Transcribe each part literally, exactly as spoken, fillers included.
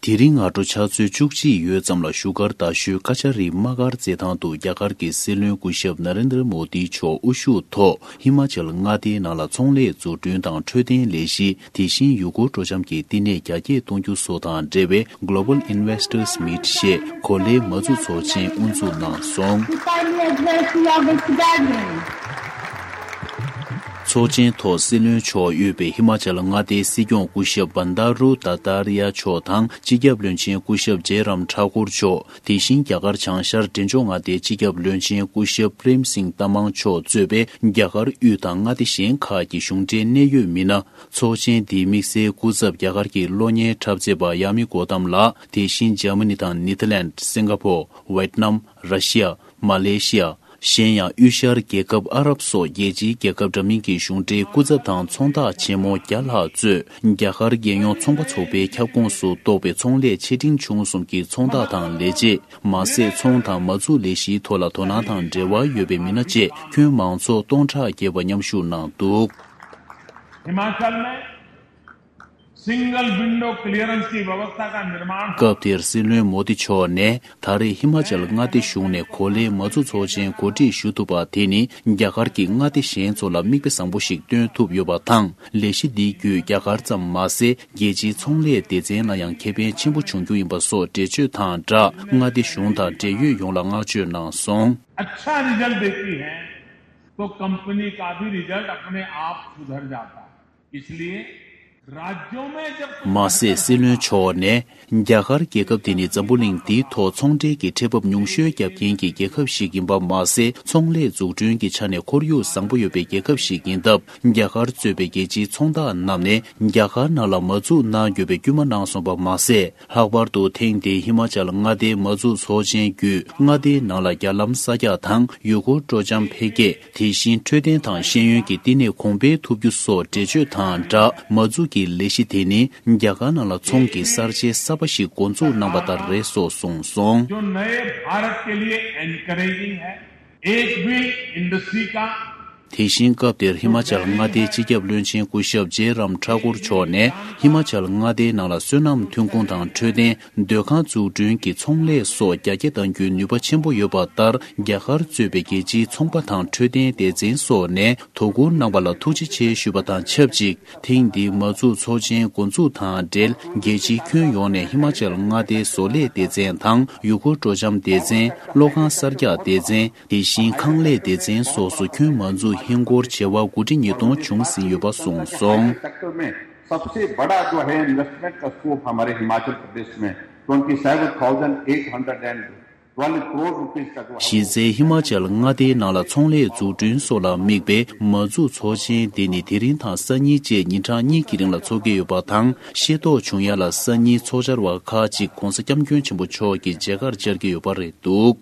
དེ་རིང་སྔ་དྲོ་ཆུ་ཚོད་བཅུ་གཅིག་ཡོལ་ཙམ་ལ་བཞུགས་སྒར་རྡ་ཤོད་ཀ་ཆ་རི་དམག་སྒར་རྩེད་ཐང་དུ་རྒྱ་གར་གྱི་སྲིད་བློན་སྐུ་ཞབས་ན་རེན་དྲ་མོ་དི་མཆོག་དབུ་བཞུགས་ཐོག་ཧི་མ་ཅལ་མངའ་སྡེའི་ནང་ལ་ཚོང་ལས་འཛུགས་སྐྲུན་དང་འཕྲོད་བསྟེན་ལས་གཞི། དེ་བཞིན་ཡུལ་སྐོར་སྤྲོ་འཆམ་གྱི་བསྟི་གནས་རྒྱ་སྐྱེད་གཏོང་རྒྱུ་སོགས་དང་འབྲེལ་བའི་Global Investors Meet ཞེས་གོ་ལའི་མ་འཛུགས་ཚོགས་ཆེན་དབུ་འཛུགས་གནང་སོང་། Kindly address the august gathering. ཚོགས་ཆེན་ཐོག་སྲིད་བློན་མཆོག་དབུས་པའི་ཧི་མ་ཅལ་མངའ་སྡེའི་སྲིད་སྐྱོང་སྐུ་ཞབས་བན་དཱ་རུ་དཏཱ་ཏཱ་རི་ཡ་མཆོག་དང་། སྤྱི་ཁྱབ་བློན་ཆེན་སྐུ་ཞབས་ཇེ་རམ་ཐཱ་ཀུར་མཆོག་དེ་བཞིན་རྒྱ་གར་བྱང་ཤར་འབྲས་ལྗོངས་མངའ་སྡེའི་སྤྱི་ཁྱབ་བློན་ཆེན་སྐུ་ཞབས་པྲེམ་སིང་ཏ་མང་མཆོག་གཙོས་པའི་རྒྱ་གར་དབུས་དང་མངའ་སྡེ་གཞན་ཁག་གི་གཞུང་འབྲེལ་གནད་ཡོད་མི་སྣ། ཚོགས་ཆེན་འདིའི་དམིགས་བསལ་སྐུ་ཚབ་རྒྱ་གར་གྱི་གློག་བརྙན་འཁྲབ་མཛད་པ་ཡ་མི་གོ་ཏམ་ལགས། དེ་བཞིན་འཇར་མ་ནི་དང་ནེ་ཐར་ལེནྜ། སིང་ག་ཕོར། ཝེཊ་ནམ། ར་ཤི་ཡ། མ་ལེ་ཤི་ཡ། གཞན་ཡང་དབུས་ཤར་རྒྱལ་ཁབ་ཨ་རབ་སོགས་རྒྱལ་སྤྱིའི་རྒྱལ་ཁབ་འདྲ་མིན་གྱི་གཞུང་འབྲེལ་སྐུ་ཚབ་དང་ཚོང་བདག་ཆེན་མོ་བརྒྱ་ལྷག་གཙོས་རྒྱ་གར་རྒྱལ་ཡོངས་ཚོང་པ་ཚོགས་པའི་ཁྱབ་ཁོངས་སུ་གཏོགས་པའི་ཚོང་ལས་ཆེ་འབྲིང་ཆུང་གསུམ་གྱི་ཚོང་བདག་དང་ལས་བྱེད། མ་ཟད་ཚོང་དང་མ་འཛུགས་ལས་གཞིའི་ཐོག་ལ་དོ་སྣང་དང་འབྲེལ་བ་ཡོད་པའི་མི་སྣ་བཅས་ཁྱོན་མང་ཚོགས་སྟོང་ཕྲག་བརྒལ་བ་མཉམ་ཞུགས་གནང་འདུག हिमाचल में single window clearance की व्यवस्था का निर्माण हो। སྐབས་དེར་སྲིད་བློན་མོ་དི་མཆོག་ནས་ད་རེས་ཧི་མ་ཅལ་མངའ་སྡེ་གཞུང་ནས་གོ་ལའི་མ་འཛུགས་ཚོགས་ཆེན་གོ་སྒྲིག་ཞུ་ཐུབ་པ་དེ་ནི་རྒྱ་གར་གྱི་མངའ་སྡེ་གཞན་ཚོ་ལ་མིག་དཔེ་བཟང་པོ་ཞིག་སྟོན་ཐུབ་ཡོད་པ་དང་། ལས་གཞི་འདི་བརྒྱུད་རྒྱ་གར་ཙམ་མ་ཟད་རྒྱལ་སྤྱིའི་ཚོང་ལས་སྡེ་ཚན་ལ་ཡང་ཁེ་ཕན་ཆེན་པོ་འབྱུང་རྒྱུ་ཡིན་པ་སོགས་འགྲེལ་བརྗོད་དང་སྦྲགས་མངའ་སྡེ་གཞུང་དང་འབྲེལ་ཡོད་ཡོངས་ལ་བསྔགས་བརྗོད་གནང་སོང་། अच्छा रिजल्ट देती है तो कंपनी का भी रिजल्ट अपने आप सुधर जाता है। इसलिए राज्यों में जब कुछ མ་ཟད་སྲིད་བློན་མཆོག་ནས་རྒྱ་གར་རྒྱལ་ཁབ་དེ་ནི་འཛམ་བུ་གླིང་འདིའི་ཐོག་ཚོང་འབྲེལ་གྱི་ཁྲལ་འབབ་ཉུང་ཤོས་བརྒྱབ་མཁན་གྱི་རྒྱལ་ཁབ་ཞིག་ཡིན་པ་མ་ཟད། ཚོང་ལས་འཛུགས་སྐྲུན་གྱི་ཆ་ནས་ཁོར་ཡུག་བཟང་པོ་ཡོད་པའི་རྒྱལ་ཁབ་ཞིག་ཡིན་སྟབས། རྒྱ་གར་གཙོས་པའི་རྒྱལ་སྤྱིའི་ཚོང་བདག་རྣམས་ནས་རྒྱ་གར་ནང་ལ་མ་འཛུགས་གནང་དགོས་པའི་སྐུལ་མ་གནང་སོང་བ་མ་ཟད། ལྷག་པར་དུ་ཐེངས་འདིའི་ཧི་མ་ཅལ་མངའ་སྡེའི་མ་འཛུགས་ཚོགས་ཆེན་བརྒྱུད་མངའ་སྡེའི་ནང་ལ་རྒྱ་ལམ་གསར་རྒྱག་དང་ཡུལ་སྐོར་སྤྲོ་འཆམ་འཕེལ་རྒྱས། དེ་བཞིན་འཕྲོད་བསྟེན་དང་ཤེས་ཡོན་གྱི་བསྟི་གནས་གོང་འཕེལ་ཐུབ་རྒྱུ་སོགས་འགྲེལ་བརྗོད་དང་སྦྲགས། མ་འཛུགས་ཀྱི་ལས་གཞི་དེ་ནི་རྒྱ་གར་ནང་ལ་ཚོང་གི་གསར་བརྗེ་གསར་པ་ཞིག་འགོ་འཛུགས་གནང་བ་ལྟར་རེད་སོགས་གསུངས་སོང་། जो नए भारत के लिए एनकरेजिंग है, एक भी इंडस्ट्री का དེ་བཞིན་སྐབས་དེར་ཧི་མ་ཅལ་མངའ་སྡེའི་སྤྱི་ཁྱབ་བློན་ཆེན་སྐུ་ཞབས་ཇེ་རམ་ཐཱ་ཀུར་མཆོག་ནས་ཧི་མ་ཅལ་མངའ་སྡེའི་ནང་ལ་སོ་ནམ་ཐོན་ཁུངས་དང་འཕྲོད་བསྟེན། སྡོད་ཁང་འཛུགས་སྐྲུན་གྱི་ཚོང་ལས་སོགས་རྒྱ་སྐྱེད་གཏང་རྒྱུའི་ནུས་པ་ཆེན་པོ་ཡོད་པ་ལྟར། རྒྱ་གར་གཙོས་པའི་རྒྱལ་སྤྱིའི་ཚོང་པ་དང་འཕྲོད་བསྟེན་སྡེ་ཚན་སོགས་ནས་དོ་ཁུར་གནང་བ་ལ་ཐུགས་རྗེ་ཆེ་ཞུས་པ་དང་ཆབས་ཅིག་ཐེངས་འདིའི་མ་འཛུགས་ཚོགས་ཆེན་འགོ་འཛུགས་དང་འབྲེལ། རྒྱལ་སྤྱིའི་ཁྱོན་ཡོངས་ནས་ཧི་མ་ཅལ་མངའ་སྡེའི་བཟོ་ལས་སྡེ་ཚན་དང་ཡུལ་སྐོར་སྤྲོ་འཆམ་སྡེ་ཚན། གློག་ཁང་གསར་རྒྱག་སྡེ་ཚན། དེ་བཞིན་ཁང་ལས་སྡེ་ཚན་སོགས་སུ་ཁྱོན་མ་འཛུགས་ཧིན་སྒོར་བྱེ་བ་དགུ་ཁྲི་ཉིས་སྟོང་བྱུང་ཟིན་ཡོད་པ་གསུངས་སོང་། सेक्टर में सबसे बड़ा जो है इन्वेस्टमेंट का स्कोप हमारे हिमाचल प्रदेश में twenty seven thousand eight hundred and twelve crore rupees का जो है གཞི་རྩའི་ཧི་མ་ཅལ་མངའ་སྡེའི་ནང་ལ་ཚོང་ལས་འཛུགས་སྐྲུན་སོགས་ལ་དམིགས་པའི་མ་འཛུགས་ཚོགས་ཆེན་འདི་ནི་དེ་རིང་དང་སང་ཉིན་བཅས་ཉིན་གྲངས་གཉིས་ཀྱི་རིང་ལ་འཚོགས་ཀྱི་ཡོད་པ་དང་། ཤེས་རྟོགས་བྱུང་ཡ་ལ་སང་ཉིན་ཚོགས་བཅར་བ་ཁག་ཅིག་༧གོང་ས་༧སྐྱབས་མགོན་ཆེན་པོ་མཆོག་གི་མཇལ་ཁར་བཅར་གྱི་ཡོད་པ་རེད་འདུག་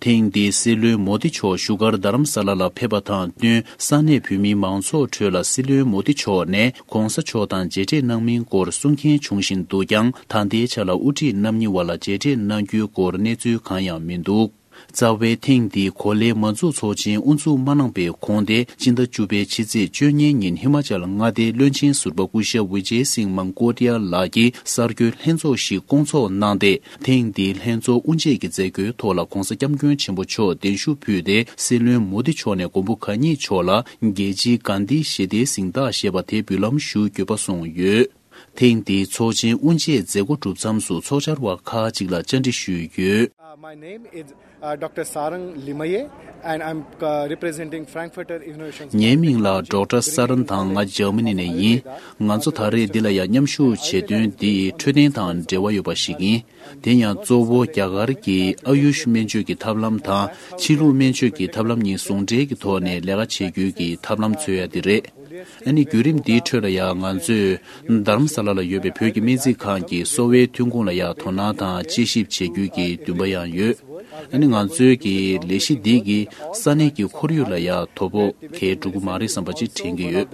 ཐེངས་འདིའི་སྲིད་བློན་མོ་དི་མཆོག་བཞུགས་སྒར་རྡ་རམ་ས་ལ་ལ་ཕེབས་པ་དང་བསྟུན། ས་གནས་བོད་མིའི་མང་ཚོགས་ཁྲོད་ལ་སྲིད་བློན་མོ་དི་མཆོག་ནས་༧གོང་ས་མཆོག་དང་མཇལ་འཕྲད་གནང་མིན་སྐོར་གསུང་མཁན་བྱུང་བཞིན་འདུག་ཀྱང་། ད་ལྟའི་ཆ་ལ་དབུ་ཁྲིད་རྣམ་གཉིས་བར་ལ་མཇལ་འཕྲད་གནང་རྒྱུའི་སྐོར་གནས་ཚུལ་གང་ཡང་མི་འདུག་རྩ་བའི་ཐེངས་འདིའི་གོ་ལའི་མ་འཛུགས་ཚོགས་ཆེན་དབུ་འཛུགས་མ་གནང་པའི་གོང་སྟེ། སྤྱི་ཟླ་བཅུ་པའི་ཕྱི་ཚེས་བཅུ་གཉིས་ཉིན་ཧི་མ་ཅལ་མངའ་སྡེའི་བློན་ཆེན་ཟུར་པ་སྐུ་ཞབས་ཝི་ཇེ་སིང་མང་ཀོ་ཏི་ཡ་ལགས་ཀྱིས་གསར་འགོད་ལྷན་ཚོགས་ཤིག་བསྐོང་ཚོགས་གནང་སྟེ། ཐེངས་འདིའི་ལྷན་ཚོགས་དབུ་འབྱེད་ཀྱི་མཛད་སྒོའི་ཐོག་ལ་༧གོང་ས་༧སྐྱབས་མགོན་ཆེན་པོ་མཆོག་གདན་ཞུ་ཕུལ་ཏེ། སྲིད་བློན་མོ་དི་མཆོག་ནས་མགོན་པོ་གང་ཉིད་མཆོག་ལ་རྒྱལ་སྤྱིའི་གྷན་དྷི་ཞི་བདེའི་གཟེངས་རྟགས་ཞེས་པ་དེ་འབུལ་ལམ་ཞུ་དགོས་པ་གསུངས་ཡོད། ཐེངས་འདིའི་ཚོགས་ཆེན་དབུ་འབྱེད་མཛད་སྒོ་གྲུབ་མཚམས་སུ་ཚོགས་བཅར་བ་ཁག་ཅིག་ལ་བཅར་འདྲི་ཞུས་ཡོད། Uh, my name is, uh, Doctor Sarang Limaye, and I'm, uh, representing Frankfurter Innovation Center. ངའི་མིང་ལ་ཌོག་ཊར་ས་རན་དང་། ང་འཇར་མ་ནི་ནས་ཡིན། ང་ཚོ་ད་རེས་འདི་ལ་ཡང་མཉམ་ཞུགས་བྱེད་དོན་འདི་འཕྲོད་བསྟེན་དང་འབྲེལ་བ་ཡོད་པ་ཞིག་ཡིན། དེ་ཡང་གཙོ་བོ་རྒྱ་གར་གྱི་ཨ་ཡུཤ་སྨན་བཅོས་ཀྱི་ཐབས་ལམ་དང་། ཕྱི་ལུགས་སྨན་བཅོས་ཀྱི་ཐབས་ལམ་གཉིས་ཟུང་འབྲེལ་གྱི་ཐོག་ནས་ལས་ཀ་བྱེད་རྒྱུའི་གི་ཐབས་ལམ་འཚོལ་ཡ་དེ་རེད། ཨ་ནི་བརྒྱུད་རིམ་འདིའི་ཁྲོད་ལ་ཡང་ང་ཚོས་རྡ་རམ་ས་ལ་ལ་ཡོད་པའི་བོད་ཀྱི་སྨན་རྩིས་ཁང་གི་གསོ་བའི་ཐོན་ཁུངས་ལ་ཡང་དོ་སྣང་དང་དཔྱད་ཞིབ་བྱེད་རྒྱུའི་གི་འདུན་པ་ཡང་ཡོད། ཨ་ནི་ང་ཚོའི་གི་ལས་གཞི་འདི་གིས་ས་གནས་ཀྱི་ཁོར་ཡུག་ལ་ཡང་དོ་ཕོག་གང་ཡང་འགྲོ་གི་མ་རེད་བསམ་པ་ཅིག་དྲན་གྱི་ཡོད།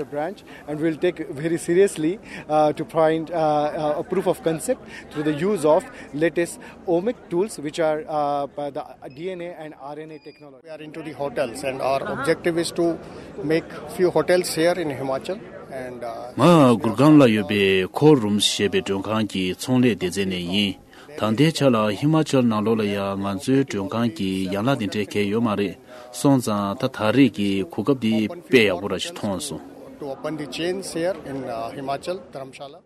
And we'll take very seriously, uh, to find, uh, uh, a proof of concept through the use of latest omic tools, which are, uh, the D N A and R N A technology. We are into the hotels, and our objective is to make few hotels here in Himachal. ང་གུར་གྷམ་ལ་ཡོད་པའི་ཁོ་རུམ་ཞེས་པའི་མགྲོན་ཁང་གི་ཚོང་ལས་སྡེ་ཚན་ནས་ཡིན། ད་ལྟའི་ཆ་ལ་ཧི་མ་ཅལ་ནང་ལོགས་ལ་ཡང་ང་ཚོའི་མགྲོན་ཁང་གི་ཡན་ལག་དེ་འདྲའི་གལ་ཡོད་མ་རེད། སོང་ཙང་ད་ད་རེས་ཀྱི་གོ་སྐབས་འདི་དཔེ་ཡག་པོ་ར་ཞིག་མཐོང་སོང་། To open the chains here in uh, Himachal, Dharamshala.